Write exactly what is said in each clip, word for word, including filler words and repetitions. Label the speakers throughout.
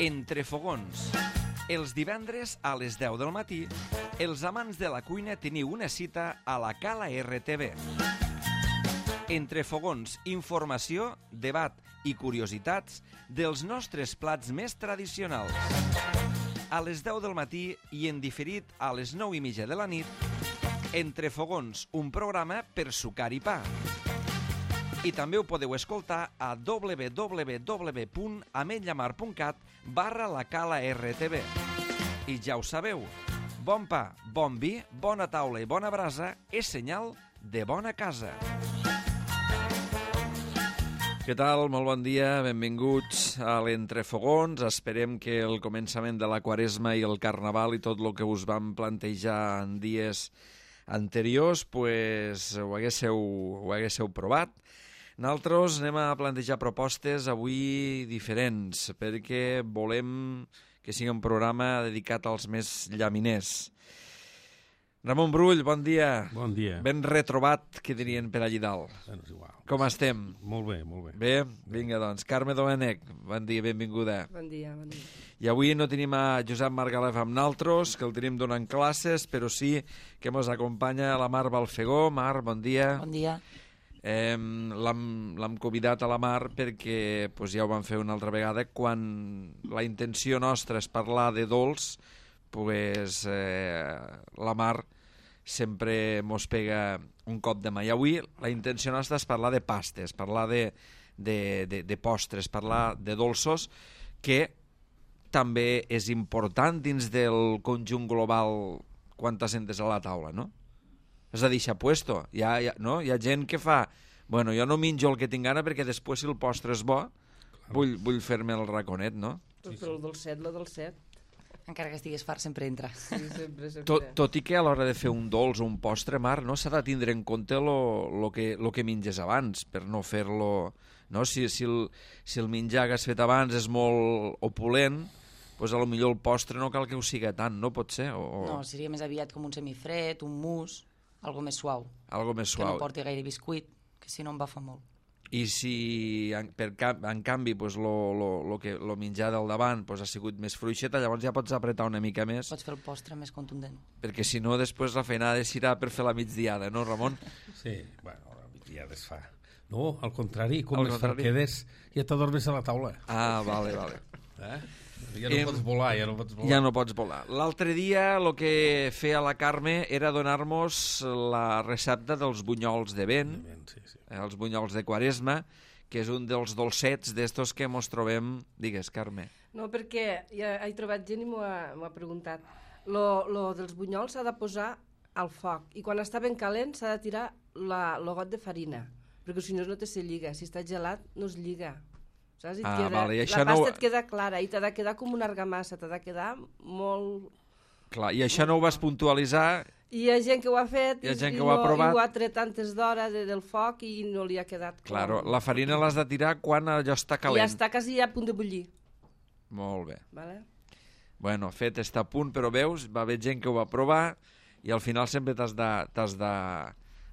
Speaker 1: Entre fogons. Els divendres a les deu del matí, els amants de la cuina teniu una cita a la Cala R T V. Entre fogons, informació, debat i curiositats dels nostres plats més tradicionals. A les deu del matí i en diferit a les nou i mitja de la nit, Entre fogons, un programa per sucar i pa. I també ho podeu escoltar a w w w punt ametlla mar punt cat barra la Cala R T V. I ja ho sabeu, bon pa, bon vi, bona taula i bona brasa és senyal de bona casa. Què tal? Molt bon dia, benvinguts a l'Entrefogons. Esperem que el començament de la Quaresma i el Carnaval i tot el que us vam plantejar en dies anteriors pues, ho, haguéssiu, ho haguéssiu provat. Nosaltres anem a plantejar propostes avui diferents perquè volem que sigui un programa dedicat als més llaminers. Ramon Brull, bon dia.
Speaker 2: Bon dia.
Speaker 1: Ben retrobat, que dirien per allí dalt.
Speaker 2: Bueno, és igual.
Speaker 1: Com estem?
Speaker 2: Molt bé, molt bé.
Speaker 1: Bé? Vinga, doncs. Carme Domènech, bon dia, benvinguda.
Speaker 3: Bon dia, bon dia.
Speaker 1: I avui no tenim a Josep Margalef amb naltros, que el tenim donant classes, però sí que ens acompanya la Mar Balfegó. Mar, bon dia.
Speaker 4: Bon dia.
Speaker 1: Eh, l'hem convidat a la Mar perquè pues, ja ho vam fer una altra vegada. Quan la intenció nostra és parlar de dolç, pues, eh, la Mar sempre mos pega un cop de mà. I avui la intenció nostra és parlar de pastes, parlar de, de, de, de postres, parlar de dolços, que també és important dins del conjunt global quan t'assentes a la taula, no? És a dir, s'ha puesto. Hi ha, hi ha, no? Hi ha gent que fa... Bueno, jo no menjo el que tinc gana perquè després, si el postre és bo, vull, vull fer-me el raconet, no?
Speaker 3: Sí, sí. Però el dolcet, la dolcet.
Speaker 4: Encara que estigués fart, sempre entra.
Speaker 3: Sí, sempre, sempre.
Speaker 1: Tot, tot i que a l'hora de fer un dolç o un postre, Mar, no s'ha de tindre en compte lo, lo, que, lo que menges abans, per no fer-lo... No? Si, si, el, si el menjar que has fet abans és molt opulent, doncs a lo millor el postre no cal que ho siga tant, no pot ser? O...
Speaker 4: No, seria més aviat com un semifred, un mousse, algo més suau.
Speaker 1: Algo més suau.
Speaker 4: Que no porti gaire biscuit, que si no em va fa molt.
Speaker 1: I si, en, per, en canvi, pues, lo, lo, lo, que, lo menjar del davant pues, ha sigut més fluixeta, llavors ja pots apretar una mica més.
Speaker 4: Pots fer el postre més contundent.
Speaker 1: Perquè si no, després la feinada serà per fer la migdiada, no, Ramon?
Speaker 2: Sí, bueno, la migdiada es fa. No, al contrari, com
Speaker 1: al
Speaker 2: més
Speaker 1: contrari.
Speaker 2: quedes, ja t'adormes a la taula.
Speaker 1: Ah, vale, vale.
Speaker 2: Eh? Ja no eh, pots volar, ja no pots volar.
Speaker 1: Ja no pots volar. L'altre dia el que feia la Carme era donar-nos la recepta dels bunyols de vent,
Speaker 2: De vent, sí, sí.
Speaker 1: Eh, els bunyols de Quaresma, que és un dels dolcets d'estos que mos trobem... Digues, Carme.
Speaker 3: No, perquè ja he trobat gent i m'ho ha, m'ho ha preguntat. Lo, lo dels bunyols s'ha de posar al foc i quan està ben calent s'ha de tirar la, lo got de farina, perquè si no no te se lliga. Si està gelat no es lliga. Saps? I
Speaker 1: Ah,
Speaker 3: queda,
Speaker 1: vale, i
Speaker 3: la
Speaker 1: això
Speaker 3: pasta
Speaker 1: no...
Speaker 3: et queda clara i t'ha de quedar com una argamassa, t'ha de quedar molt...
Speaker 1: Clar, i això no ho vas puntualitzar...
Speaker 3: I hi ha gent que ho ha fet
Speaker 1: Hi ha gent
Speaker 3: i,
Speaker 1: que ho ha
Speaker 3: no,
Speaker 1: provat.
Speaker 3: i ho ha tret antes d'hora de, del foc i no li ha quedat...
Speaker 1: Claro,
Speaker 3: com...
Speaker 1: la farina l'has de tirar quan allò està
Speaker 3: I
Speaker 1: calent.
Speaker 3: ja està quasi a punt de bullir.
Speaker 1: Molt bé.
Speaker 3: Vale?
Speaker 1: Bueno, fet està a punt, però veus, va haver gent que ho va provar i al final sempre t'has de... T'has de...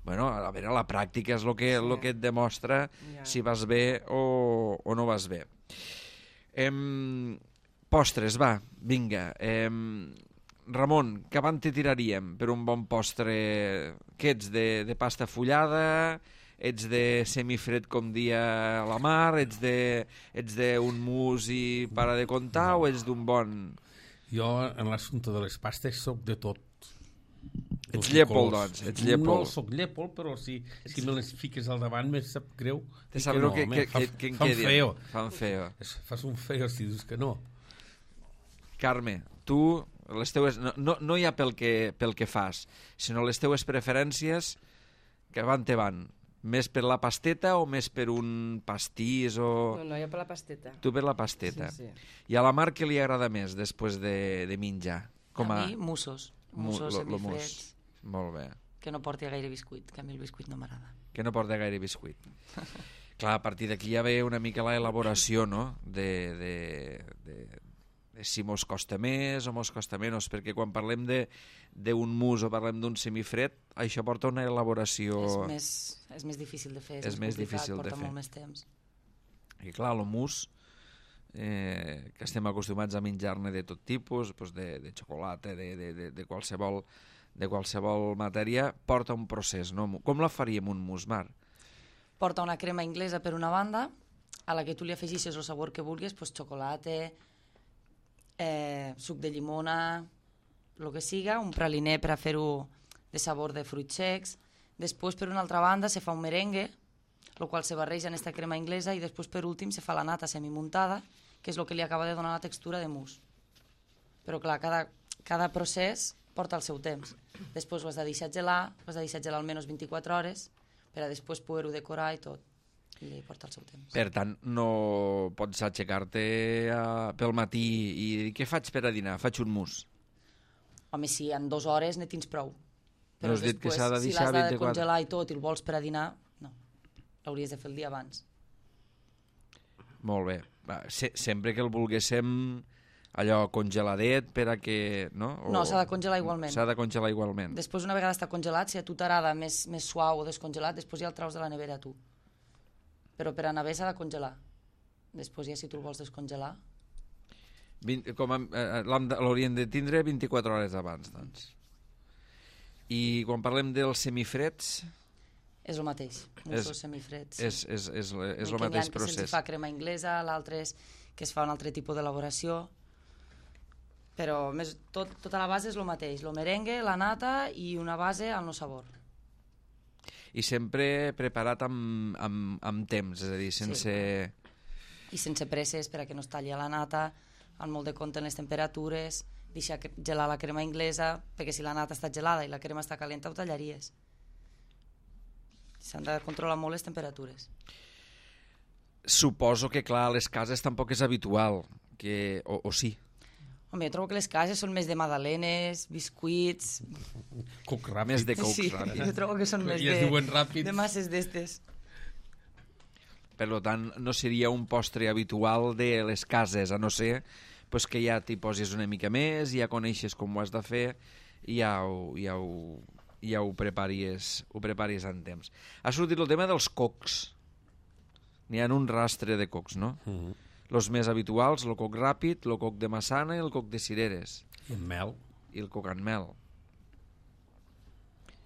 Speaker 1: Bueno, a veure, la pràctica és el que, sí. lo que et demostra
Speaker 3: ja.
Speaker 1: si vas bé o, o no vas bé. Em... Postres, va, vinga. Em... Ramon, que avant te tiraríem per un bon postre? Què ets, de, de pasta fullada? Ets de semifred com dia la Mar? Ets de, ets d'un mousse i para de contar no. o ets d'un bon...
Speaker 2: Jo, en l'assumpte de les pastes, soc de tot.
Speaker 1: Ets llépol, doncs. Ets llépol.
Speaker 2: No soc llépol, però si, si me les fiques al davant me sap greu.
Speaker 1: Te sap greu que,
Speaker 2: no,
Speaker 1: que,
Speaker 2: fa,
Speaker 1: que, que en
Speaker 2: fan
Speaker 1: quedi.
Speaker 2: feo.
Speaker 1: Fan feo.
Speaker 2: Fas un feo si dius que no.
Speaker 1: Carme, tu... Les teues, no, no, no hi ha pel que, pel que fas, sinó les teues preferències que van te van. Més per la pasteta o més per un pastís o...
Speaker 3: No, no, jo per la pasteta.
Speaker 1: Tu per la pasteta.
Speaker 3: Sí, sí.
Speaker 1: I a la Mar què li agrada més després de, de menjar? Com
Speaker 4: a... a mi, mussos. Mussos semifreds.
Speaker 1: Molt bé.
Speaker 4: Que no porti gaire biscuit, que a mi el biscuit no m'agrada.
Speaker 1: Que no porti gaire biscuit. Clar, a partir d'aquí ja ve una mica la elaboració, no?, de... de, de si mos costa més o mos costa menys, perquè quan parlem d'un mousse o parlem d'un semifred, això porta una elaboració...
Speaker 4: És més, és més difícil de fer, és,
Speaker 1: és més
Speaker 4: complicat,
Speaker 1: difícil
Speaker 4: porta
Speaker 1: de fer.
Speaker 4: molt més temps.
Speaker 1: I clar, el mousse, eh, que estem acostumats a menjar-ne de tot tipus, doncs de, de xocolata, de, de, de, de, qualsevol, de qualsevol matèria, porta un procés, no? Com la faríem un mousse, Mar?
Speaker 4: Porta una crema inglesa per una banda, a la que tu li afegissis el sabor que vulguis, doncs xocolata, eh, suc de llimona, el que siga, un praliner per a fer-ho de sabor de fruits secs. Després, per una altra banda, se fa un merengue, el qual se barreja en aquesta crema inglesa, i després, per últim, se fa la nata semimuntada, que és el que li acaba de donar la textura de mousse. Però, clar, cada, cada procés porta el seu temps. Després ho has de deixar gelar, ho has de deixar gelar almenys vint-i-quatre hores, per a després poder-ho decorar i tot. I porta el seu temps.
Speaker 1: Per tant, no pots aixecar-te uh, pel matí i dir, què faig per a dinar? Faig un mousse.
Speaker 4: Home, si en dues hores ne tens prou.
Speaker 1: Però has dit que s'ha de
Speaker 4: si
Speaker 1: deixar
Speaker 4: l'has de
Speaker 1: vint-i-quatre...
Speaker 4: congelar i tot i el vols per a dinar, no. L'hauries de fer el dia abans.
Speaker 1: Molt bé. Va, se sempre que el volguéssim allò congeladet per a que... No, o...
Speaker 4: no s'ha de congelar igualment.
Speaker 1: S'ha de congelar igualment.
Speaker 4: Després, una vegada està congelat, si a tu t'agrada més, més suau o descongelat, després ja el traus de la nevera tu. Però per anar bé s'ha de congelar. Després ja si tu el vols descongelar...
Speaker 1: vint, com a, eh, l'haurien de tindre vint-i-quatre hores abans, doncs. I quan parlem dels semifreds...
Speaker 4: És el mateix, mussos semifreds. Sí.
Speaker 1: És, és, és, és, és el
Speaker 4: N'hi
Speaker 1: mateix
Speaker 4: ha
Speaker 1: procés.
Speaker 4: que se'ls fa crema inglesa, l'altre és que es fa un altre tipus d'elaboració, però més, tot, tota la base és el mateix, el merengue, la nata i una base al no sabor.
Speaker 1: I sempre preparat amb, amb, amb temps, és a dir, sense...
Speaker 4: Sí. I sense presses per a que no es talli la nata, amb molt de compte en les temperatures, deixar gelar la crema inglesa, perquè si la nata està gelada i la crema està calenta ho tallaries. S'han de controlar molt les temperatures.
Speaker 1: Suposo que, clar, a les cases tampoc és habitual, que... o, o sí?
Speaker 4: Home, jo trobo que les cases són més de magdalenes, biscuits...
Speaker 2: Coc ràpid.
Speaker 1: Més de coc
Speaker 4: sí,
Speaker 1: ràpid.
Speaker 4: jo trobo que són més
Speaker 2: I es
Speaker 4: de,
Speaker 2: diuen ràpids.
Speaker 4: de masses d'estes.
Speaker 1: Per tant, no seria un postre habitual de les cases, a no ser pues, que ja t'hi posis una mica més, ja coneixes com ho has de fer i ja ho, ja ho, ja ho, preparis, ho preparis en temps. Ha sortit el tema dels cocs. N'hi ha un rastre de cocs, no?
Speaker 2: Uh -huh.
Speaker 1: Els més habituals, el coc ràpid, el coc de massana i el coc de cireres.
Speaker 2: I amb mel.
Speaker 1: I el coc amb mel.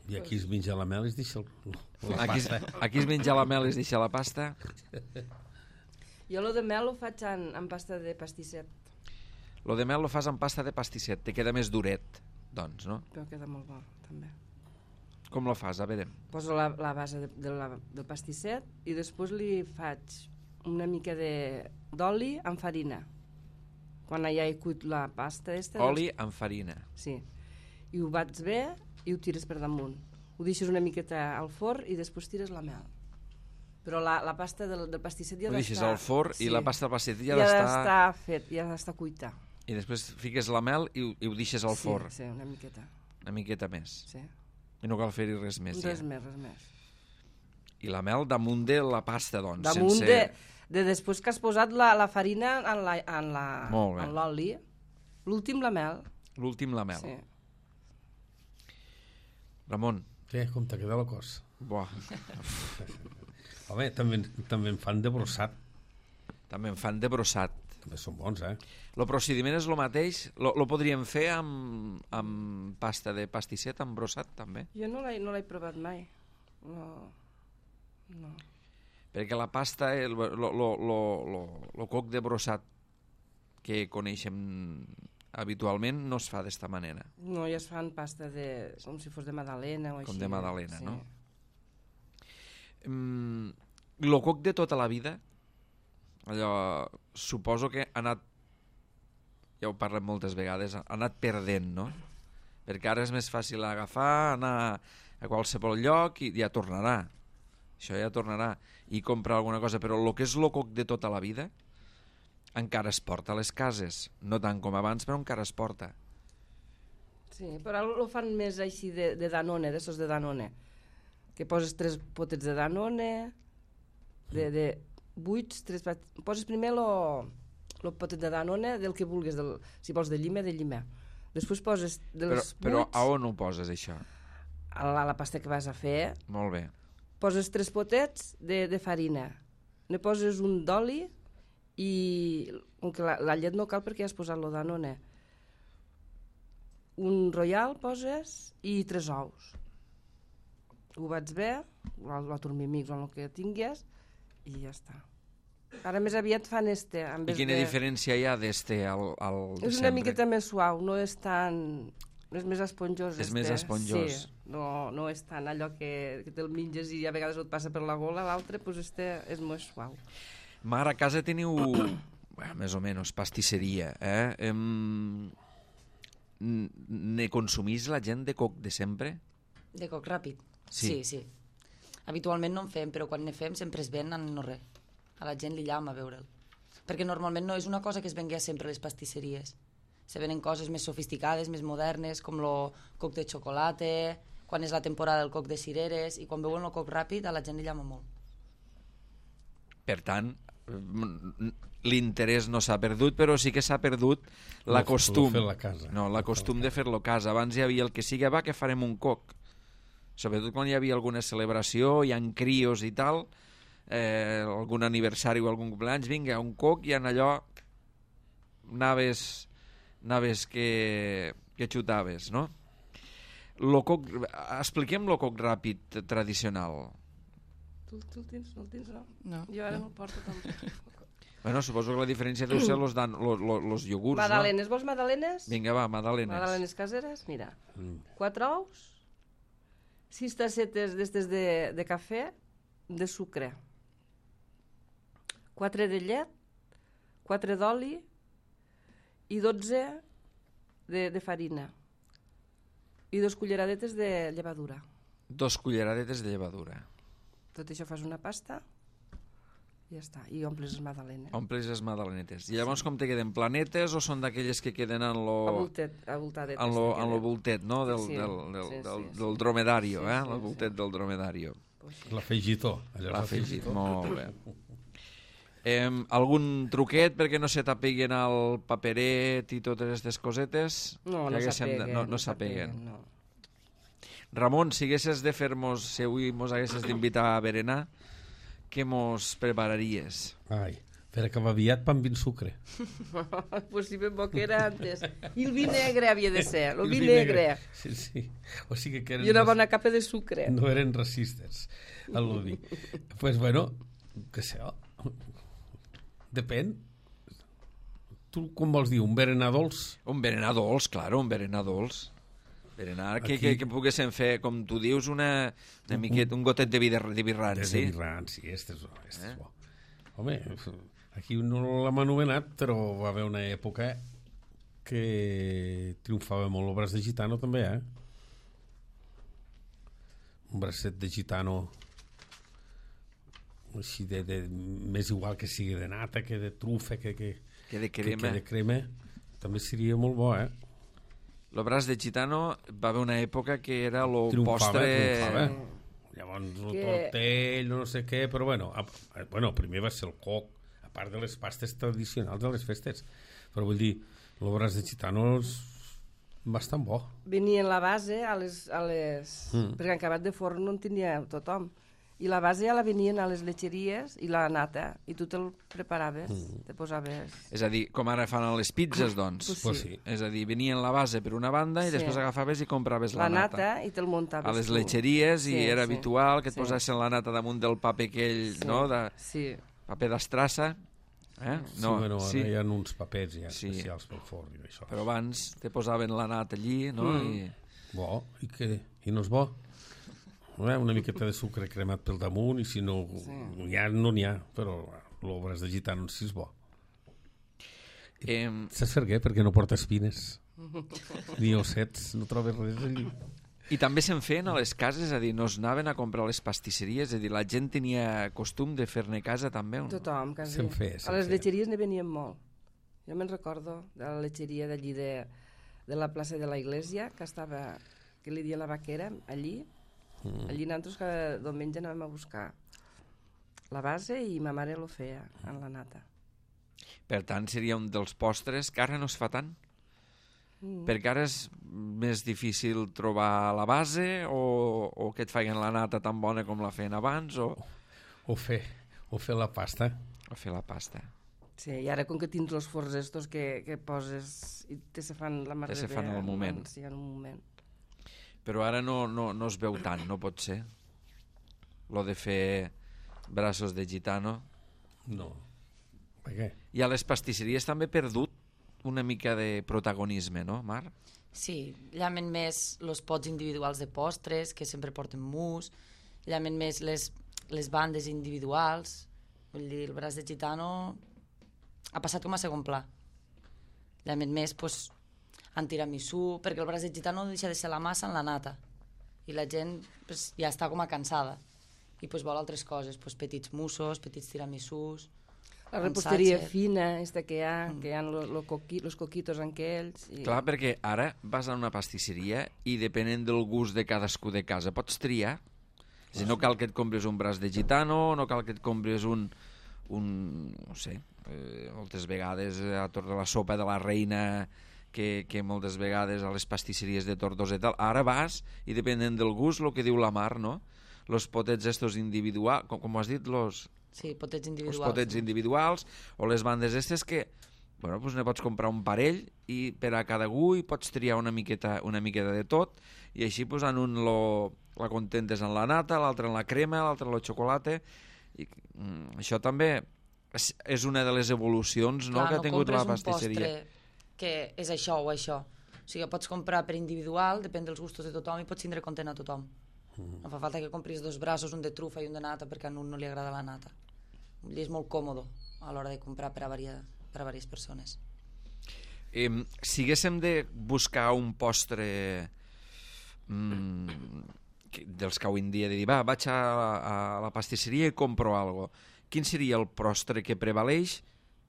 Speaker 2: I aquí es menja la mel i es deixa el, la
Speaker 1: Aquí,
Speaker 2: pasta.
Speaker 1: aquí es menja la mel i es deixa la pasta.
Speaker 3: Jo lo de mel ho faig en, en pasta de pastisset.
Speaker 1: Lo de mel lo fas amb pasta de pastisset, te queda més duret, doncs, no?
Speaker 3: Però queda molt bo, també.
Speaker 1: Com lo fas? A veure.
Speaker 3: Poso la, la base de, de la, del pastisset i després li faig una mica d'oli amb farina. Quan ja he cuit la pasta... Esta,
Speaker 1: Oli
Speaker 3: doncs,
Speaker 1: amb farina.
Speaker 3: sí. I ho bats bé i ho tires per damunt. Ho deixes una miqueta al forn i després tires la mel. Però la, la pasta del, del pastisset ja ha
Speaker 1: Ho deixes
Speaker 3: d'estar...
Speaker 1: al forn sí. I la pasta del pastisset ja,
Speaker 3: ja
Speaker 1: ha
Speaker 3: ha
Speaker 1: d'estar...
Speaker 3: d'estar fet, ja ha d'estar cuita.
Speaker 1: I després fiques la mel i, ho- i ho deixes al
Speaker 3: sí,
Speaker 1: forn.
Speaker 3: Sí, una miqueta.
Speaker 1: Una miqueta més.
Speaker 3: Sí.
Speaker 1: I no cal fer-hi res més.
Speaker 3: Res
Speaker 1: ja.
Speaker 3: més, res més.
Speaker 1: I la mel damunt de la pasta, doncs.
Speaker 3: Damunt
Speaker 1: sense...
Speaker 3: de, de després que has posat la, la farina en la- en la-
Speaker 1: Molt bé.
Speaker 3: en l'oli, l'últim la mel.
Speaker 1: L'últim la mel.
Speaker 3: Sí.
Speaker 1: Ramon.
Speaker 2: Què? Com t'ha quedat la cosa?
Speaker 1: Buah.
Speaker 2: Home, també, també en fan de brossat.
Speaker 1: També en fan de brossat.
Speaker 2: També són bons, eh?
Speaker 1: El procediment és el mateix? Lo, lo podríem fer amb, amb pasta de pastisset, amb brossat, també?
Speaker 3: Jo no l'he no l'he provat mai. No. No.
Speaker 1: Perquè la pasta, el, lo, lo, lo, lo, lo coc de brossat que coneixem habitualment no es fa d'esta manera.
Speaker 3: No, ja es fan pasta de... com si fos de magdalena o així.
Speaker 1: Com de magdalena,
Speaker 3: sí.
Speaker 1: no? Mm, lo coc de tota la vida, allò, suposo que ha anat, ja ho parlem moltes vegades, ha anat perdent, no? Perquè ara és més fàcil agafar, anar a qualsevol lloc i ja tornarà. Això ja tornarà. I comprar alguna cosa. Però el que és lo coc de tota la vida encara es porta a les cases. No tant com abans, però encara es porta.
Speaker 3: Sí, però ho fan més així de, de Danone, d'essos de Danone. Que poses tres potets de Danone, de, de buits, tres pat... poses primer lo, lo potet de Danone del que vulguis, del, si vols de llima, de llima. Després poses dels
Speaker 1: Però, però
Speaker 3: buits
Speaker 1: a on ho poses, això?
Speaker 3: a la, a la pasta que vas a fer,
Speaker 1: Molt bé.
Speaker 3: poses tres potets de, de farina, ne poses un d'oli i que la, la llet no cal perquè has posat lo Danone. Un royal poses i tres ous. Ho bats bé, la turmimix o el que tingués, i ja està. Ara més aviat fan este. En
Speaker 1: I quina de... diferència hi ha d'este al, al de
Speaker 3: és
Speaker 1: sempre?
Speaker 3: una miqueta més suau, no és tan... És més esponjós.
Speaker 1: És
Speaker 3: este.
Speaker 1: més esponjós.
Speaker 3: Sí, no, no és tant allò que, que te'l menges i a vegades et passa per la gola, l'altre pues este és més suau.
Speaker 1: Mar, a casa teniu, bueno, més o menys, pastisseria, eh? Em... Ne consumís la gent de coc de sempre?
Speaker 4: De coc ràpid?
Speaker 1: Sí.
Speaker 4: Sí, sí. Habitualment no en fem, però quan ne fem sempre es ven en no res. A la gent li llama a veure'l. Perquè normalment no és una cosa que es vengués sempre a les pastisseries. Se venen coses més sofisticades, més modernes, com el coc de xocolata, quan és la temporada del coc de cireres, i quan veuen el coc ràpid a la gent li llama molt.
Speaker 1: Per tant, l'interès no s'ha perdut, però sí que s'ha perdut la costum.
Speaker 2: Fer la casa.
Speaker 1: No, la costum de fer-lo a casa. Abans hi havia el que sigui, va, que farem un coc. Sobretot quan hi havia alguna celebració, hi ha crios i tal, eh, algun aniversari o algun cumpleaños, vinga, un coc, i en allò anaves, anaves que, que xutaves, no? Lo coc, expliquem lo coc ràpid tradicional.
Speaker 3: Tu, tu el tens? No el tens, no?
Speaker 4: No.
Speaker 3: Jo ara no el porto tampoc.
Speaker 1: Bueno, suposo que la diferència deu ser los, dan, los, los, los iogurts,
Speaker 3: Madalenes, vols madalenes?
Speaker 1: no? Vinga, va, madalenes.
Speaker 3: Madalenes caseres, mira.
Speaker 2: Mm.
Speaker 3: Quatre ous, sis tassetes d'estes de, de cafè, de sucre, quatre de llet, quatre d'oli i dotze de, de farina i dos culleradetes de llevadura.
Speaker 1: Dos culleradetes de llevadura.
Speaker 3: Tot això fas una pasta i ja està, i omples les madalenes.
Speaker 1: Omples les madalenetes. I llavors com te queden? Planetes o són d'aquelles que queden en lo...
Speaker 3: Abultet, abultadetes.
Speaker 1: En lo, en lo voltet, no? Del,
Speaker 3: Sí,
Speaker 1: del, del,
Speaker 3: sí, sí,
Speaker 1: del,
Speaker 3: sí.
Speaker 1: del dromedario,
Speaker 3: Sí,
Speaker 1: eh?
Speaker 3: sí,
Speaker 1: El voltet
Speaker 3: sí.
Speaker 1: del dromedario.
Speaker 2: L'afegitó. allò és
Speaker 1: L'afegit, molt bé. Eh, algun truquet perquè no se t'apeguen al paperet i totes aquestes cosetes?
Speaker 3: No,
Speaker 1: Que
Speaker 3: no
Speaker 1: haguéssim de-
Speaker 3: s'apeguen.
Speaker 1: No, no s'apeguen.
Speaker 3: No.
Speaker 1: Ramon, si haguessis de fer-nos, si avui mos haguessis d'invitar a berenar, què mos prepararies?
Speaker 2: Ai, per acabar aviat, pa amb vin sucre.
Speaker 3: Pues si ben bo que era antes. I el vi negre havia de ser, el vi
Speaker 2: vi
Speaker 3: negre.
Speaker 2: Sí, sí. O sigui que eren
Speaker 3: I una
Speaker 2: raci-
Speaker 3: bona capa de sucre.
Speaker 2: no eren racistes, a lo vi. Pues bueno, què sé, oh. Depèn. Tu com vols dir, un berenar dolç?
Speaker 1: Un berenar dolç, claro, un berenar dolç. Berenar, que,
Speaker 2: Aquí-
Speaker 1: que, que poguéssim fer, com tu dius, una, una miqueta, un gotet de, vida, de birran,
Speaker 2: Des
Speaker 1: sí?
Speaker 2: de Birran, sí, este és, este
Speaker 1: Eh?
Speaker 2: és bo. Home, aquí no l'hem anomenat, però va haver una època que triomfava molt el braç de gitano també, eh? Un bracet de gitano així de, de, més igual que sigui de nata, que de trufa, que, que,
Speaker 1: Que de
Speaker 2: que,
Speaker 1: crema.
Speaker 2: que de crema, també seria molt bo, eh?
Speaker 1: El braç de gitano va haver una època que era el
Speaker 2: Triomfava,
Speaker 1: postre...
Speaker 2: triomfava. Llavors el
Speaker 3: Que-
Speaker 2: tortell, no sé què, però bueno, a, a, bueno, primer va ser el coc, a part de les pastes tradicionals de les festes. Però vull dir, el braç de gitano és bastant bo.
Speaker 3: Venien la base a les... A les...
Speaker 2: Mm.
Speaker 3: Perquè en acabat de forn no en tenia tothom. I la base ja la venien a les letxeries i la nata. I tu te'l preparaves,
Speaker 2: Mm.
Speaker 3: te posaves...
Speaker 1: És a dir, com ara fan a les pizzas, doncs.
Speaker 3: Pues
Speaker 2: Pues
Speaker 3: sí.
Speaker 2: sí.
Speaker 1: És a dir, venien la base per una banda i
Speaker 3: Sí.
Speaker 1: després agafaves i compraves la,
Speaker 3: La nata i te'l muntaves
Speaker 1: a les
Speaker 3: tu.
Speaker 1: letxeries i
Speaker 3: Sí,
Speaker 1: era
Speaker 3: sí.
Speaker 1: habitual que et
Speaker 3: Sí.
Speaker 1: posessin la nata damunt del paper aquell,
Speaker 3: Sí.
Speaker 1: no? De
Speaker 3: Sí.
Speaker 1: paper d'estrassa. Eh?
Speaker 2: Sí, bueno, ara
Speaker 1: sí.
Speaker 2: hi ha uns papers ja
Speaker 1: Sí.
Speaker 2: especials pel forn i això.
Speaker 1: Però abans te posaven la nata allí, no?
Speaker 3: Mm.
Speaker 1: I...
Speaker 2: Bo, i què? I no és bo? Eh? Una miqueta de sucre cremat pel damunt i si no,
Speaker 3: Sí.
Speaker 2: ja no n'hi ha, però l'obres de gitano sí és bo.
Speaker 1: Eh,
Speaker 2: Saps per què? Perquè no porta espines. Ni ossets, no trobes res allí.
Speaker 1: I també se'n feien a les cases, és a dir, no es anaven a comprar a les pastisseries, és a dir, la gent tenia costum de fer-ne a casa també, o no?
Speaker 3: Tothom, quasi.
Speaker 2: Se'n feia, se'n
Speaker 3: A les
Speaker 2: feia.
Speaker 3: letxeries ne venien molt. Jo me'n recordo de la letxeria d'allí de, de la plaça de la Iglesia, que estava, que li dia la vaquera, allí.
Speaker 2: Mm.
Speaker 3: Allí nosaltres cada diumenge anàvem a buscar la base i ma mare lo feia en la nata.
Speaker 1: Per tant, seria un dels postres que ara no es fa tant,
Speaker 3: Mm.
Speaker 1: perquè ara és més difícil trobar la base o, o que et facin la nata tan bona com la feien abans o,
Speaker 2: O fer, o fer la pasta.
Speaker 1: o fer la pasta.
Speaker 3: Sí, i ara com que tens els forns estos que, que poses i te se fan la mar
Speaker 1: Te
Speaker 3: de
Speaker 1: se
Speaker 3: bé,
Speaker 1: fan al moment.
Speaker 3: Sí, en un moment.
Speaker 1: Però ara no, no, no es veu tant, no pot ser? Lo de fer braços de gitano.
Speaker 2: No. Per què?
Speaker 1: I a les pastisseries també ha perdut una mica de protagonisme, no, Mar?
Speaker 4: Sí, llamen més els pots individuals de postres, que sempre porten mousse, llamen més les, les bandes individuals, vull dir, el braç de gitano ha passat com a segon pla. Llamen més, doncs, en tiramisú, perquè el braç de gitano no deixa de ser la massa en la nata, i la gent pues, ja està com a cansada, i pues, vol altres coses, pues, petits moussos, petits tiramisús.
Speaker 3: La reposteria fina, esta que hi ha, mm. que hi ha los lo coqui, coquitos aquells. I...
Speaker 1: Clar, perquè ara vas a una pastisseria i depenent del gust de cadascú de casa pots triar. És a dir, no cal que et compris un braç de gitano, no cal que et compris un, un no sé, eh, moltes vegades a torn de la sopa de la reina, que, que moltes vegades a les pastisseries de Tortosa i tal, ara vas i depenent del gust, el que diu la Mar, no? Los potets estos individuals, com, com has dit, los...
Speaker 4: Sí, potets individuals.
Speaker 1: Els potets individuals, o les bandes estes que, bueno, doncs ne pots comprar un parell i per a cada gu i pots triar una miqueta, una miqueta de tot, i així pues, en un lo, la contentes en la nata, l'altre en la crema, l'altre en el xocolata, i mm, això també és, és una de les evolucions, no,
Speaker 4: Clar,
Speaker 1: que ha tingut
Speaker 4: no
Speaker 1: la pastisseria.
Speaker 4: un postre que és això o això. O sigui, pots comprar per individual, depèn dels gustos de tothom, i pots tindre content a tothom. No fa falta que compris dos braços, un de trufa i un de nata, perquè a un no li agrada la nata. Vull dir, és molt còmode a l'hora de comprar per a, varia, per a diverses persones.
Speaker 1: Eh, si haguéssim de buscar un postre mm, que, dels que avui en dia de dir, va, vaig a, a la pastisseria i compro algo, quin seria el postre que prevaleix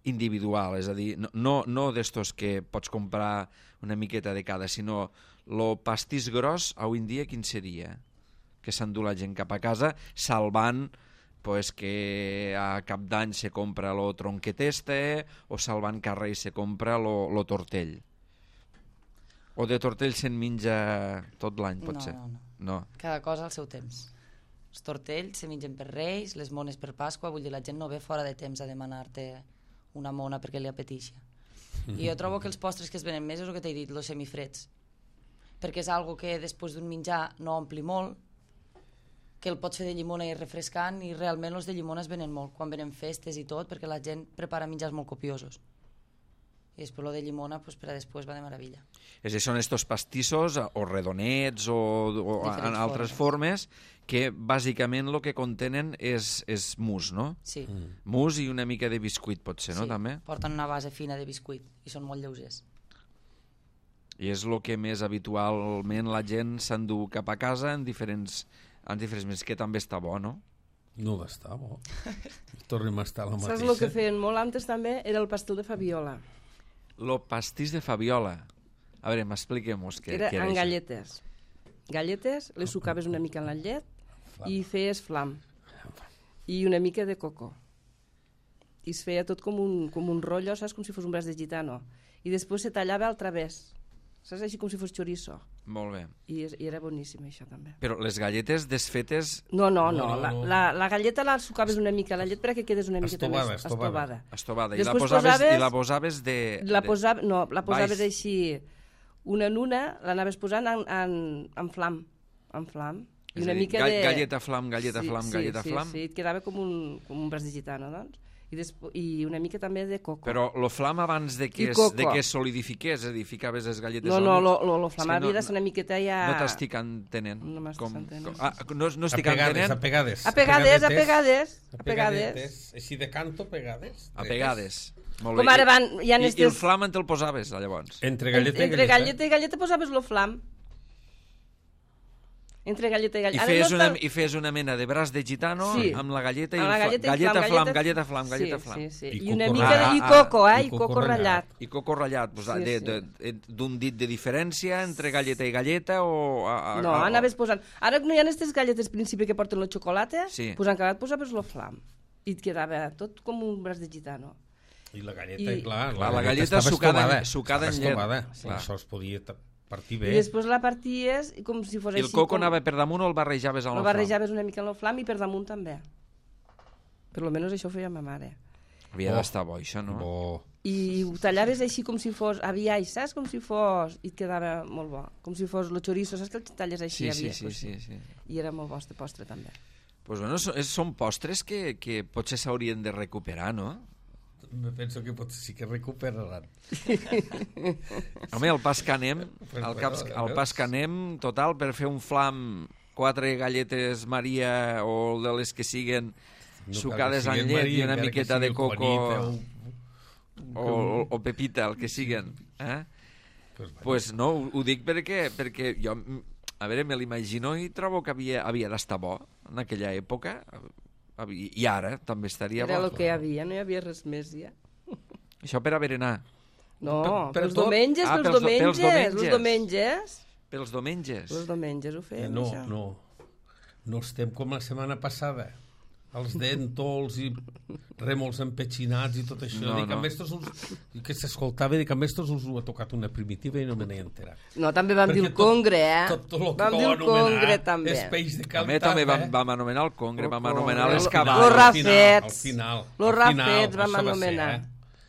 Speaker 1: individual? És a dir, no, no, no d'estos que pots comprar una miqueta de cada, sinó el pastís gros avui en dia quin seria? Que s'endú la gent cap a casa, salvant pues, que a cap d'any se compra lo tronquet este, o salvant que a Reis se compra lo, lo tortell. O de tortell se'n menja tot l'any, pot
Speaker 4: no,
Speaker 1: ser?
Speaker 4: No, no.
Speaker 1: No.
Speaker 4: Cada cosa al seu temps. Els tortells se mengen per Reis, les mones per Pasqua, vull dir, la gent no ve fora de temps a demanar-te una mona perquè li apeteixi. I jo trobo que els postres que es venen més és el que t'he dit, els semifreds. Perquè és algo que després d'un menjar no ompli molt, que el pots fer de llimona i refrescant, i realment els de llimona es venen molt quan venen festes i tot, perquè la gent prepara menjars molt copiosos. I després el de llimona pues, per a després va de meravella.
Speaker 1: És a dir, són estos pastissos o redonets o, o en altres formes. formes que bàsicament el que contenen és, és mousse, no?
Speaker 4: Sí.
Speaker 2: Mm.
Speaker 1: Mousse i una mica de biscuit, potser, no?
Speaker 4: Sí,
Speaker 1: També?
Speaker 4: porten una base fina de biscuit i són molt lleugers.
Speaker 1: I és el que més habitualment la gent s'endú cap a casa en diferents, en diferents mesos, que també està bo, no?
Speaker 2: No va estar bo. Tornem a estar la mateixa.
Speaker 3: Saps el que feien molt antes també? Era el pastel de Fabiola.
Speaker 1: Lo pastís de Fabiola. A veure, m'expliquem-nos què,
Speaker 3: Era
Speaker 1: què era
Speaker 3: amb
Speaker 1: això.
Speaker 3: galletes. Galletes, les sucaves una mica en la llet
Speaker 2: Flam.
Speaker 3: i feies flam. I una mica de coco. I es feia tot com un, com un rotllo, saps? Com si fos un braç de gitano. I després se tallava al través. Saps? Així com si fos chorizo.
Speaker 1: Molt bé.
Speaker 3: I, és, i era boníssim, això, també.
Speaker 1: Però les galletes desfetes...
Speaker 3: No, no, no.
Speaker 2: No, no,
Speaker 3: La,
Speaker 2: no.
Speaker 3: la, la galleta la sucaves una mica a la llet perquè quedes una miqueta
Speaker 2: Estovada,
Speaker 3: més
Speaker 2: estovada.
Speaker 1: estovada. I la,
Speaker 3: Després
Speaker 1: posaves,
Speaker 3: posaves-
Speaker 1: I la posaves de...
Speaker 3: La
Speaker 1: de-
Speaker 3: posava, no, la posaves
Speaker 1: baix.
Speaker 3: així, una en una, l'anaves posant en, en, en flam. En flam.
Speaker 1: És
Speaker 3: I una
Speaker 1: a dir,
Speaker 3: mica
Speaker 1: ga-
Speaker 3: de...
Speaker 1: galleta flam, galleta
Speaker 3: sí,
Speaker 1: flam,
Speaker 3: sí,
Speaker 1: galleta
Speaker 3: sí,
Speaker 1: flam.
Speaker 3: Sí, et quedava com un, com un braç de gitano, doncs. I, despo... I una mica també de coco.
Speaker 1: Però lo flam abans de que,
Speaker 3: I
Speaker 1: es,
Speaker 3: coco.
Speaker 1: de que es solidifiqués, és a dir, ficaves les galletes
Speaker 3: No,
Speaker 1: al
Speaker 3: no,
Speaker 1: mig.
Speaker 3: lo, lo, lo
Speaker 1: És
Speaker 3: flam
Speaker 1: que
Speaker 3: havia
Speaker 1: no-
Speaker 3: de ser una miqueta ja...
Speaker 1: No t'estic entenent.
Speaker 3: No m'estàs entenent.
Speaker 1: ah, no, no
Speaker 2: A
Speaker 1: estic
Speaker 2: pegades,
Speaker 1: entenent.
Speaker 2: a pegades.
Speaker 3: A pegades, a pegades,
Speaker 2: A
Speaker 3: a pegades.
Speaker 2: pegadetes. Així de canto, pegades.
Speaker 1: A pegades. Molt
Speaker 3: Com
Speaker 1: bé.
Speaker 3: ara van, hi ha
Speaker 1: I,
Speaker 3: estes...
Speaker 1: I el flam en te'l posaves, llavors?
Speaker 2: Entre galleta i
Speaker 3: Entre
Speaker 2: galleta.
Speaker 3: galleta i galleta posaves lo flam. Entre galleta i
Speaker 1: I
Speaker 3: galleta.
Speaker 1: feies,
Speaker 3: no
Speaker 1: una,
Speaker 3: està-
Speaker 1: I feies una mena de braç de gitano
Speaker 3: Sí.
Speaker 1: amb la galleta i
Speaker 3: Amb
Speaker 1: el
Speaker 3: la
Speaker 1: fla-
Speaker 3: galleta i
Speaker 1: galleta
Speaker 3: flam,
Speaker 1: flam,
Speaker 3: galleta-
Speaker 1: galleta flam, galleta
Speaker 3: sí,
Speaker 1: flam.
Speaker 3: Sí, sí.
Speaker 2: I
Speaker 3: I una
Speaker 2: coco
Speaker 3: mica de...
Speaker 1: ratllat.
Speaker 3: I
Speaker 1: Ah,
Speaker 3: coco,
Speaker 2: ah,
Speaker 3: eh?
Speaker 2: i
Speaker 3: I
Speaker 2: coco
Speaker 3: coco ratllat.
Speaker 1: I coco ratllat, pues,
Speaker 3: Sí,
Speaker 1: de-
Speaker 3: sí.
Speaker 1: de- de- d'un dit de diferència entre galleta i galleta o... A, a,
Speaker 3: No,
Speaker 1: a,
Speaker 3: anaves posant... Ara no hi ha aquestes galletes principi que porten el xocolata,
Speaker 1: Sí.
Speaker 3: pues en acabat posaves lo flam. I et quedava tot com un braç de gitano.
Speaker 2: I la galleta,
Speaker 3: I-
Speaker 2: clar,
Speaker 1: Clar, la galleta
Speaker 2: estava
Speaker 1: sucada en-
Speaker 2: estovada,
Speaker 1: sucada en
Speaker 2: estava
Speaker 1: llet.
Speaker 2: estovada. Sí,
Speaker 1: Clar.
Speaker 2: això es podia ta- partir
Speaker 3: I
Speaker 2: bé.
Speaker 3: després la parties i com si fos
Speaker 1: I el
Speaker 3: així...
Speaker 1: coco
Speaker 3: com...
Speaker 1: anava per damunt o el barrejaves amb
Speaker 3: Lo
Speaker 1: el flam?
Speaker 3: barrejaves una mica en el flam i per damunt també. Per lo menos això ho feia ma mare.
Speaker 1: Havia
Speaker 2: Bo.
Speaker 1: d'estar bo, això, no?
Speaker 2: Bo.
Speaker 3: I ho tallaves així com si fos aviai, saps? Com si fos... I et quedava molt bo. Com si fos el chorizo, saps que el talles així?
Speaker 1: Sí, sí,
Speaker 3: aviai?
Speaker 1: sí,
Speaker 3: Pues
Speaker 1: sí, sí.
Speaker 3: I era molt bo, este postre, també.
Speaker 1: Pues bueno, so- és- són postres que, que potser s'haurien de recuperar, no?
Speaker 2: Me penso que potser sí que recuperaran.
Speaker 1: Home, el pas que anem,
Speaker 2: Pues
Speaker 1: el, caps,
Speaker 2: bueno,
Speaker 1: el pas que anem, total, per fer un flam, quatre galletes Maria o de les que siguen
Speaker 2: No
Speaker 1: sucades
Speaker 2: cal que
Speaker 1: en
Speaker 2: siguin
Speaker 1: llet
Speaker 2: Maria,
Speaker 1: i una
Speaker 2: encara que
Speaker 1: miqueta de
Speaker 2: sigui
Speaker 1: coco
Speaker 2: Juanita
Speaker 1: o, o, o pepita, el que siguen. Eh?
Speaker 2: Pues, bueno,
Speaker 1: Pues no, ho, ho dic perquè, perquè jo, a veure, me l'imagino i trobo que havia, havia d'estar bo en aquella època, Havia- i ara també estaria
Speaker 3: Era
Speaker 1: bo.
Speaker 3: el que hi havia, no hi havia res més, ja.
Speaker 1: Això per a berenar.
Speaker 3: No,
Speaker 2: Per- per
Speaker 3: pels
Speaker 2: tot?
Speaker 3: diumenges,
Speaker 1: Ah,
Speaker 3: pels
Speaker 1: pels do- pels
Speaker 3: diumenges,
Speaker 1: diumenges.
Speaker 3: els diumenges.
Speaker 1: Pels diumenges.
Speaker 3: Els diumenges ho
Speaker 2: eh,
Speaker 3: fèiem,
Speaker 2: no,
Speaker 3: això.
Speaker 2: no. No estem com la setmana passada. Els dentols i remols empetxinats i tot això.
Speaker 1: No,
Speaker 2: Dic,
Speaker 1: no.
Speaker 2: a més, tots us, que s'escoltava, dic, a més, tots us ho ha tocat una primitiva i no me n'he enterat.
Speaker 3: No, també vam dir
Speaker 2: Perquè
Speaker 3: el congre, eh?
Speaker 2: Tot, tot el que
Speaker 3: vam dir
Speaker 2: vau
Speaker 3: el congre,
Speaker 2: anomenar
Speaker 3: també.
Speaker 2: és peix de
Speaker 1: També,
Speaker 2: cantar,
Speaker 1: també vam,
Speaker 2: eh?
Speaker 1: vam anomenar el congre,
Speaker 3: El
Speaker 1: vam anomenar
Speaker 3: congre,
Speaker 1: les
Speaker 3: el-
Speaker 1: cabals.
Speaker 3: Los
Speaker 2: Al final,
Speaker 3: rafets.
Speaker 2: al final,
Speaker 3: Los
Speaker 2: al final,
Speaker 3: rafets vam
Speaker 2: això va ser,
Speaker 3: anomenar.
Speaker 2: eh?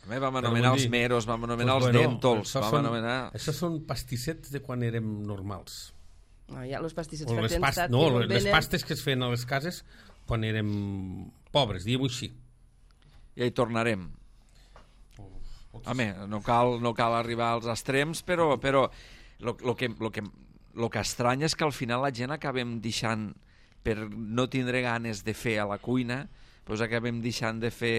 Speaker 1: També vam
Speaker 2: Però
Speaker 1: anomenar
Speaker 2: vull
Speaker 1: els
Speaker 2: dir,
Speaker 1: meros, vam anomenar
Speaker 2: doncs,
Speaker 1: els
Speaker 2: bueno,
Speaker 1: dèntols,
Speaker 2: això
Speaker 1: vam
Speaker 2: són-
Speaker 1: anomenar...
Speaker 2: Això són pastissets de quan érem normals.
Speaker 3: No, ja, els pastissets
Speaker 2: O
Speaker 3: fa
Speaker 2: les,
Speaker 3: temps
Speaker 2: past...
Speaker 3: que
Speaker 2: no,
Speaker 3: no
Speaker 2: les
Speaker 3: venen.
Speaker 2: pastes que es feien a les cases quan érem pobres, diguem-ho així.
Speaker 1: Ja hi tornarem. Home, no cal, no cal arribar als extrems, però, però lo, lo, que, lo, que, lo que estranya és que al final la gent acabem deixant, per no tindre ganes de fer a la cuina, doncs acabem deixant de fer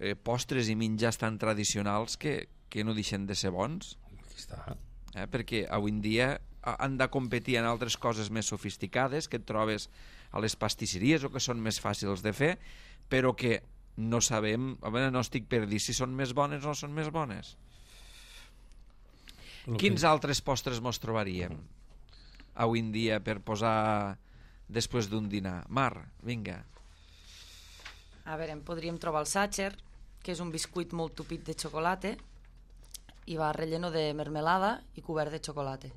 Speaker 1: eh, postres i menjars tan tradicionals que, que no deixen de ser bons.
Speaker 2: Aquí està.
Speaker 1: Eh? Perquè avui en dia ha- han de competir en altres coses més sofisticades que et trobes a les pastisseries o que són més fàcils de fer, però que no sabem, a veure, no estic per dir si són més bones o no són més bones.
Speaker 2: Lo
Speaker 1: Quins
Speaker 2: que...
Speaker 1: altres postres mos trobaríem avui en dia per posar després d'un dinar? Mar, vinga.
Speaker 4: A veure, en podríem trobar el Sacher, que és un biscuit molt tupit de xocolata i va relleno de mermelada i cobert de xocolata.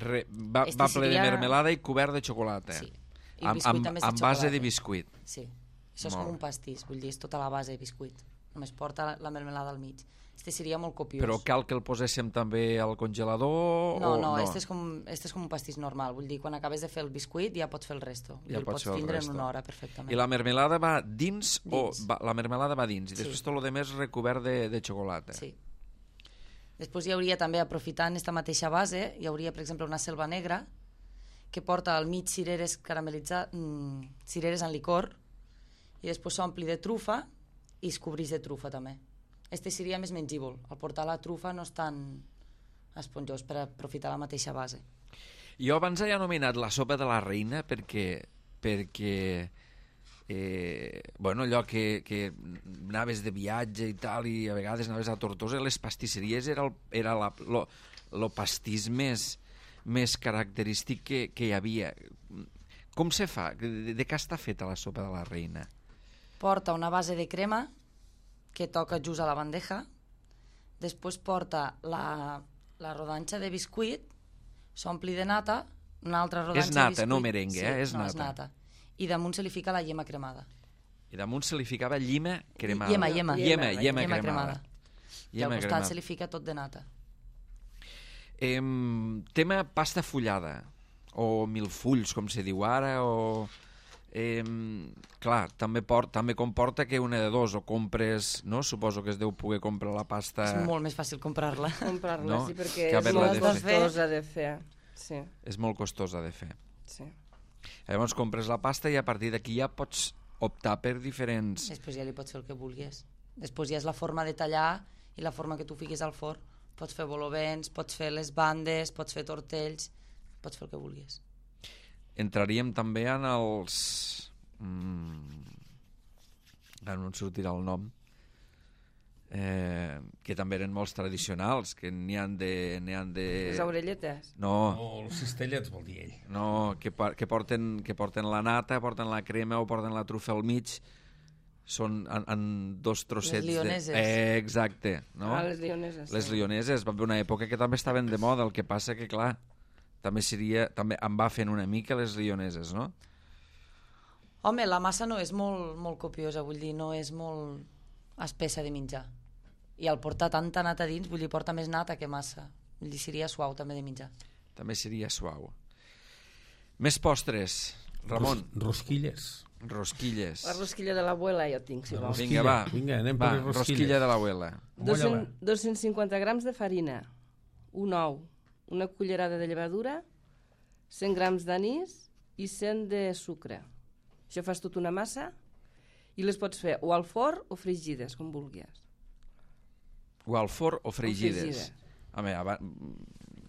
Speaker 1: Re, va,
Speaker 4: Este
Speaker 1: va ple de
Speaker 4: seria-
Speaker 1: mermelada i cobert de xocolata.
Speaker 4: Sí. I
Speaker 1: Amb,
Speaker 4: biscuit
Speaker 1: amb,
Speaker 4: també és de
Speaker 1: amb base
Speaker 4: xocolata.
Speaker 1: de biscuit.
Speaker 4: Sí, això és
Speaker 1: Molt
Speaker 4: com un
Speaker 1: bé.
Speaker 4: pastís, vull dir, és tota la base de biscuit. Només porta la, la mermelada al mig. Este seria molt copiós.
Speaker 1: Però cal que el poséssim també al congelador?
Speaker 4: No,
Speaker 1: o
Speaker 4: no, este és, com, este és com un pastís normal. Vull dir, quan acabes de fer el biscuit ja pots fer el resto. Vull
Speaker 1: Ja
Speaker 4: dir, el
Speaker 1: pots
Speaker 4: pots
Speaker 1: fer el
Speaker 4: tindre
Speaker 1: resto.
Speaker 4: en una hora perfectament.
Speaker 1: I la mermelada va dins,
Speaker 4: Dins.
Speaker 1: o va, la mermelada va dins i
Speaker 4: Sí.
Speaker 1: després tot el demés recobert de, de xocolata.
Speaker 4: Sí. Després hi hauria també, aprofitant aquesta mateixa base, hi hauria, per exemple, una selva negra que porta al mig cireres caramelitzat, mm, cireres en licor, i després s'ompli de trufa i es cobreix de trufa també. Este seria més mengíbol. Al portar la trufa no és tan esponjós per aprofitar la mateixa base.
Speaker 1: Jo abans he anomenat la sopa de la reina perquè, perquè eh, bueno, allò que, que anaves de viatge i tal i a vegades anaves a Tortosa, les pastisseries era, el, era la, lo, lo pastís més, més característic que, que hi havia. Com se fa? De, de què està feta la sopa de la reina?
Speaker 4: Porta una base de crema que toca just a la bandeja, després porta la, la rodanxa de biscuit, s'ompli de nata, una altra rodanxa
Speaker 1: És nata,
Speaker 4: de biscuit.
Speaker 1: no merengue,
Speaker 4: sí,
Speaker 1: eh? És
Speaker 4: no,
Speaker 1: nata.
Speaker 4: és nata. I damunt se li fica la llema cremada.
Speaker 1: I damunt se li ficava llima cremada.
Speaker 4: Llema, llema.
Speaker 1: Llema,
Speaker 3: Llema,
Speaker 1: llema,
Speaker 4: llema
Speaker 1: cremada.
Speaker 4: cremada. I al costat se li fica tot de nata.
Speaker 1: Eh, tema pasta fullada o milfulls, com se diu ara, o... Eh, clar, també, port, també comporta que una de dos, o compres, no? Suposo que es deu poder comprar la pasta...
Speaker 4: És molt més fàcil comprar-la.
Speaker 3: Comprar-la,
Speaker 1: No?
Speaker 3: sí, perquè
Speaker 1: Que
Speaker 3: és
Speaker 1: haver-la
Speaker 3: molt
Speaker 1: de
Speaker 4: fer.
Speaker 3: costosa de fer. Sí,
Speaker 1: És molt costosa de fer.
Speaker 3: sí.
Speaker 1: Llavors compres la pasta i a partir d'aquí ja pots optar per diferents...
Speaker 4: Després ja li pots fer el que vulguis. Després ja és la forma de tallar i la forma que tu fiquis al forn. Pots fer volovents, pots fer les bandes, pots fer tortells, pots fer el que vulguis.
Speaker 1: Entraríem també en els... Mm... Ara no em sortirà el nom. Eh, que també eren molts tradicionals, que n'hi han de... N'hi han de...
Speaker 3: Les orelletes.
Speaker 1: No,
Speaker 2: O els cistellets, vol dir ell.
Speaker 1: no que, por- que, porten, que porten la nata, porten la crema o porten la trufa al mig. Són en, en dos trossets...
Speaker 4: Les lioneses.
Speaker 1: De... Eh, exacte. No?
Speaker 3: Ah, les lioneses.
Speaker 1: Les lioneses, va haver una època que també estaven de moda, el que passa que, clar, també seria, també em va fent una mica les lioneses, no?
Speaker 4: Home, la massa no és molt, molt copiosa, vull dir, no és molt... espessa de menjar. I al portar tanta nata dins, vull dir, porta més nata que massa. Vull dir, seria suau també de menjar.
Speaker 1: També seria suau. Més postres, Ramon.
Speaker 2: Ros rosquilles.
Speaker 1: Rosquilles.
Speaker 3: La rosquilla de l'abuela jo tinc, si
Speaker 2: La
Speaker 3: vols.
Speaker 1: Vinga, va.
Speaker 2: Vinga, anem
Speaker 1: va,
Speaker 2: per les rosquilles.
Speaker 1: rosquilla de l'abuela.
Speaker 3: dos-cents cinquanta grams de farina, un ou, una cullerada de llevadura, cent grams d'anís i cent de sucre. Això fas tot una massa i les pots fer o al forn o fregides, com vulguis.
Speaker 1: O al forn o fregides.
Speaker 3: fregides.
Speaker 1: Home, abans...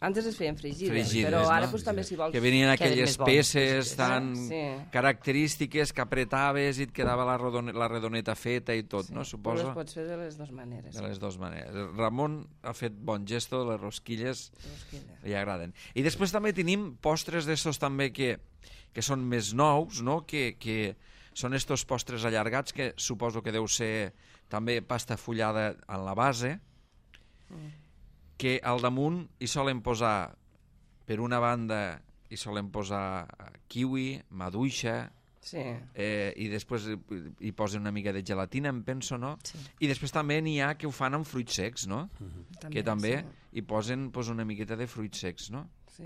Speaker 3: Antes es feien fregides,
Speaker 1: Fregides,
Speaker 3: però ara
Speaker 1: no?
Speaker 3: pues, també si vols...
Speaker 1: Que venien
Speaker 4: Queden
Speaker 1: aquelles
Speaker 4: més bons,
Speaker 1: peces
Speaker 4: fregides.
Speaker 1: tan
Speaker 3: Sí.
Speaker 1: característiques que apretaves i et quedava la, rodone la redoneta feta i tot,
Speaker 3: Sí,
Speaker 1: no?
Speaker 3: però
Speaker 1: Suposo.
Speaker 3: les pots fer de les dues maneres.
Speaker 1: De les dues maneres. Ramon ha fet bon gesto, les rosquilles
Speaker 3: Rosquilles.
Speaker 1: li agraden. I després també tenim postres d'estos també que, que són més nous, no? Que, que són estos postres allargats que suposo que deu ser també pasta fullada en la base,
Speaker 3: Mm.
Speaker 1: que al damunt hi solen posar, per una banda, hi solen posar kiwi, maduixa,
Speaker 3: Sí.
Speaker 1: eh, i després hi posen una mica de gelatina, em penso, no?
Speaker 4: Sí.
Speaker 1: I després també n'hi ha que ho fan amb fruits secs, no?
Speaker 3: També,
Speaker 1: que també
Speaker 3: sí.
Speaker 1: hi posen pues, una miqueta de fruits secs, no?
Speaker 3: Sí.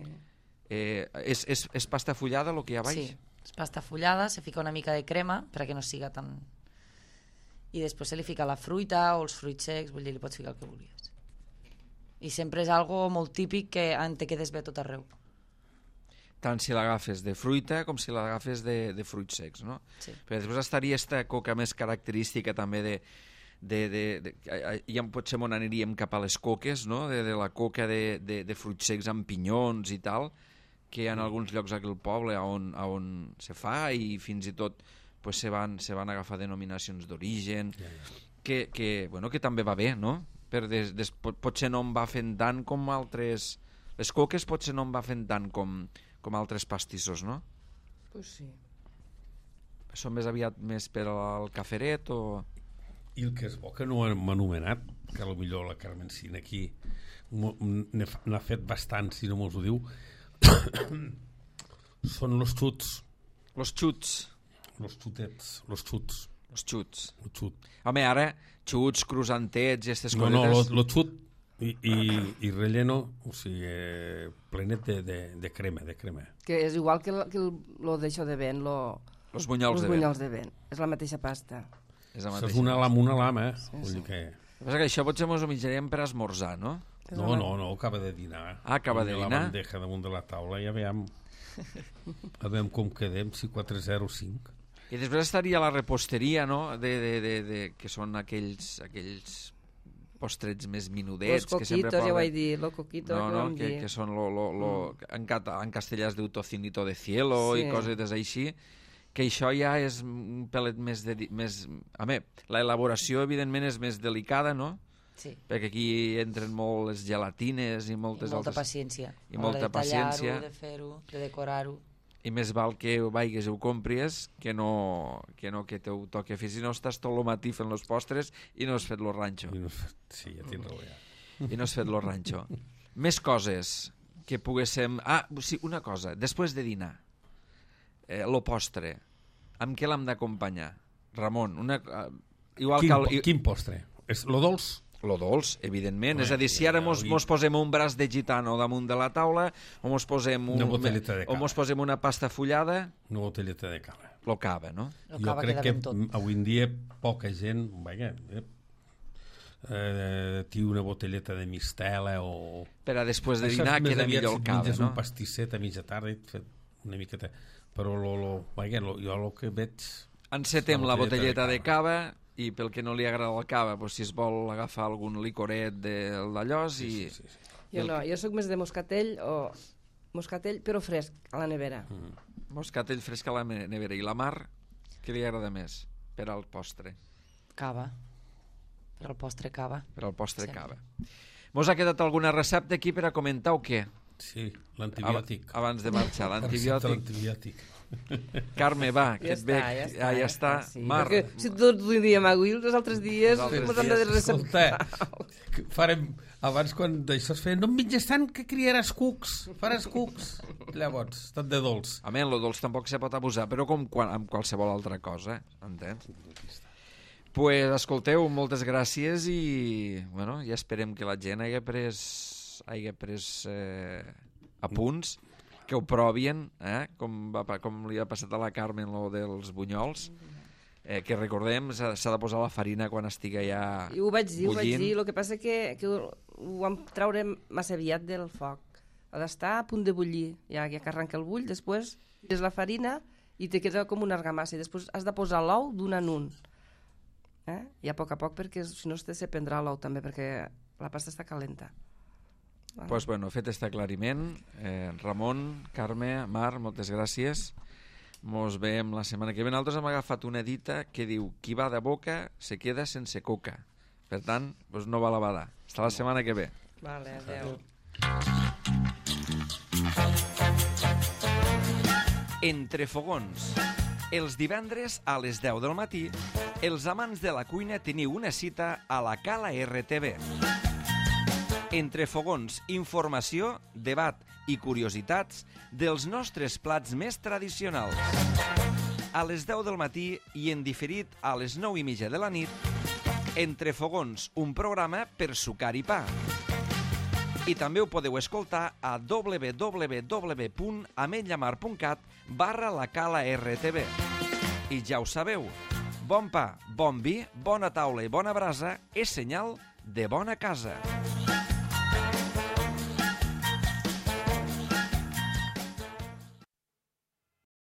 Speaker 1: Eh, és, és, és pasta fullada el que hi ha a baix?
Speaker 4: Sí, és pasta fullada, se fica una mica de crema perquè no siga tan... I després se li fica la fruita o els fruits secs, vull dir, li pots ficar el que vulguis. I sempre és algo molt típic que en te quedes bé tot arreu.
Speaker 1: Tant si l'agafes de fruita com si l'agafes de, de fruits secs, no?
Speaker 4: Sí.
Speaker 1: Però després estaria esta coca més característica també de... de, de, de ja potser m'on aniríem cap a les coques, no? De, de la coca de, de, de fruits secs amb pinyons i tal, que en alguns llocs aquí al poble on, on se fa i fins i tot pues, se, van, se van agafar denominacions d'origen,
Speaker 2: Ja, ja.
Speaker 1: que, que, bueno, que també va bé, no? Per des, des, pot, potser no em va fent tant com altres... Les coques potser no em va fent tant com, com altres pastissos, no?
Speaker 3: Pues sí.
Speaker 1: Són més aviat més per al caferet o...
Speaker 2: I el que és bo que no hem anomenat, que potser la Carmencina aquí n'ha fet bastant, si no mos ho diu, són los xuts,
Speaker 1: Los xuts.
Speaker 2: los xutets, los xuts,
Speaker 1: Los xuts.
Speaker 2: el xut.
Speaker 1: Home, ara, xuts, cruzantets i aquestes
Speaker 2: No, no, lo,
Speaker 1: cosetes...
Speaker 2: lo xut i, i, i relleno, o sigui, eh, plenet de, de, de crema, de crema.
Speaker 3: Que és igual que, el, que el, lo d'això de vent, lo,
Speaker 1: Los bunyols
Speaker 3: los
Speaker 1: de vent.
Speaker 3: bunyols de vent. És la mateixa pasta.
Speaker 1: És la
Speaker 2: Això és
Speaker 1: mateixa.
Speaker 2: una lama, una lama, eh?
Speaker 3: Sí,
Speaker 2: Vull
Speaker 3: sí.
Speaker 2: dir que...
Speaker 1: El que passa que això potser mos ho menjarem per esmorzar, no?
Speaker 2: No, no, no, acaba de dinar.
Speaker 1: Ah, acaba de
Speaker 2: Posa
Speaker 1: dinar?
Speaker 2: la bandeja damunt de la taula i a veure, a veure com quedem, si quatre zero cinc.
Speaker 1: I després estaria la reposteria, no? De, de, de, de, que són aquells, aquells postrets més
Speaker 3: Los
Speaker 1: minudets que sempre
Speaker 3: coquitos, ja ho
Speaker 1: poden...
Speaker 3: vaig dir, lo coquito,
Speaker 1: No,
Speaker 3: que
Speaker 1: no,
Speaker 3: vam
Speaker 1: que,
Speaker 3: dir.
Speaker 1: que són lo, lo, lo, en, cata, en castellà es diu tocinito de cielo
Speaker 3: Sí.
Speaker 1: i cosetes així, que això ja és un pelet més... De, més a més, l'elaboració evidentment és més delicada, no?
Speaker 4: Sí.
Speaker 1: Perquè aquí entren molt les gelatines i
Speaker 4: I
Speaker 1: moltes
Speaker 4: molta
Speaker 1: altres...
Speaker 4: paciència.
Speaker 1: I
Speaker 4: a l'hora
Speaker 1: molta
Speaker 4: de tallar-ho,
Speaker 1: paciència.
Speaker 4: de fer-ho, de decorar-ho.
Speaker 1: I més val que ho vaigues i ho compris que no que, no que t'ho toqui a fer. Si no estàs tot el matí fent els postres i no has fet lo ranxo.
Speaker 2: I no, sí, ja tens raó, ja.
Speaker 1: I no has fet lo ranxo. Més coses que poguéssim... Ah, sí, una cosa. Després de dinar, eh, lo postre, amb què l'hem d'acompanyar? Ramon, una... Uh, igual
Speaker 2: Quin,
Speaker 1: que... El,
Speaker 2: po- quin postre? És lo dolç?
Speaker 1: Lo dolç, evidentment.
Speaker 2: Home,
Speaker 1: és a dir, si ara
Speaker 2: ja,
Speaker 1: mos,
Speaker 2: avui-
Speaker 1: mos posem un braç de gitano damunt de la taula, o mos posem, un,
Speaker 2: Una botelleta de
Speaker 1: o
Speaker 2: cava.
Speaker 1: mos posem una pasta fullada,
Speaker 2: Una botelleta de cava.
Speaker 1: lo cava, no?
Speaker 4: El
Speaker 2: Jo
Speaker 4: cava
Speaker 2: crec
Speaker 4: queda
Speaker 2: que
Speaker 4: ben tot.
Speaker 2: avui en dia poca gent, vaja, eh, eh, té una botelleta de mistela o...
Speaker 1: Per a després de
Speaker 2: Això és
Speaker 1: dinar
Speaker 2: més
Speaker 1: queda
Speaker 2: aviat
Speaker 1: millor
Speaker 2: si
Speaker 1: el
Speaker 2: et
Speaker 1: cava,
Speaker 2: menges
Speaker 1: no?
Speaker 2: un pastisset a mitja tarda i et fet una miqueta... Però lo, lo, vaja, lo, jo el que veig...
Speaker 1: Encetem
Speaker 2: La
Speaker 1: la
Speaker 2: botelleta
Speaker 1: botelleta
Speaker 2: de
Speaker 1: de cava i pel que no li agrada el cava, doncs si es vol agafar algun licoret del d'allòs i...
Speaker 2: Sí, sí, sí.
Speaker 3: Jo no, jo sóc més de moscatell o moscatell, però fresc, a la nevera.
Speaker 2: Mm.
Speaker 1: Moscatell fresc a la ne- nevera. I la Mar, què li agrada més per al postre?
Speaker 4: Cava. Per al postre cava.
Speaker 1: Per al postre
Speaker 4: Sempre.
Speaker 1: cava. Mos ha quedat alguna recepta aquí per a comentar o què?
Speaker 2: Sí, l'antibiòtic.
Speaker 1: Ab- Abans de marxar,
Speaker 2: La recepta
Speaker 1: l'antibiòtic.
Speaker 2: L'antibiòtic.
Speaker 1: Carme, va, que
Speaker 3: Ja
Speaker 1: et ve...
Speaker 3: està, ja està.
Speaker 1: Ah, ja està.
Speaker 3: Sí,
Speaker 1: Mar,
Speaker 3: perquè si tot el dia m'aguil, els altres dies
Speaker 1: Els altres
Speaker 3: mos han de
Speaker 1: dies,
Speaker 3: receptar.
Speaker 2: Escolta, que farem, abans quan d'això es feia, no em menges tant que criaràs cucs, faràs cucs. Llavors, tot de dolç.
Speaker 1: a més, lo dolç tampoc se pot abusar, però com quan, amb qualsevol altra cosa, entens?
Speaker 5: Pues, escolteu, moltes gràcies i bueno, ja esperem que la gent hagi pres, hagi pres eh, apunts, que ho provien, eh? com, va, com li ha passat a la Carmen lo dels bunyols, eh, que recordem, s'ha de posar la farina quan estigui ja
Speaker 3: I ho vaig dir,
Speaker 5: bullint.
Speaker 3: ho vaig dir, el que passa que, que ho, ho vam treure massa aviat del foc. Ha d'estar a punt de bullir, ja, ja que arranca el bull, després tires la farina i te queda com una argamassa, i després has de posar l'ou d'un en un. Eh? I a poc a poc, perquè si no se prendrà l'ou també, perquè la pasta està calenta.
Speaker 5: Doncs pues, bueno, fet este aclariment, eh, Ramon, Carme, Mar, moltes gràcies. Mos veiem la setmana que ve. Nosaltres hem agafat una dita que diu qui va de boca se queda sense coca. Per tant, pues no va la bada. Hasta la setmana que ve.
Speaker 3: Vale, adeu.
Speaker 1: Entre fogons. Els divendres a les deu del matí, els amants de la cuina teniu una cita a la Cala R T V. Entre fogons, informació, debat i curiositats dels nostres plats més tradicionals. A les deu del matí i en diferit a les nou i mitja de la nit, Entre fogons, un programa per sucar i pa. I també ho podeu escoltar a w w w punt ametllamar punt cat barra la Cala R T V. I ja ho sabeu, bon pa, bon vi, bona taula i bona brasa és senyal de bona casa.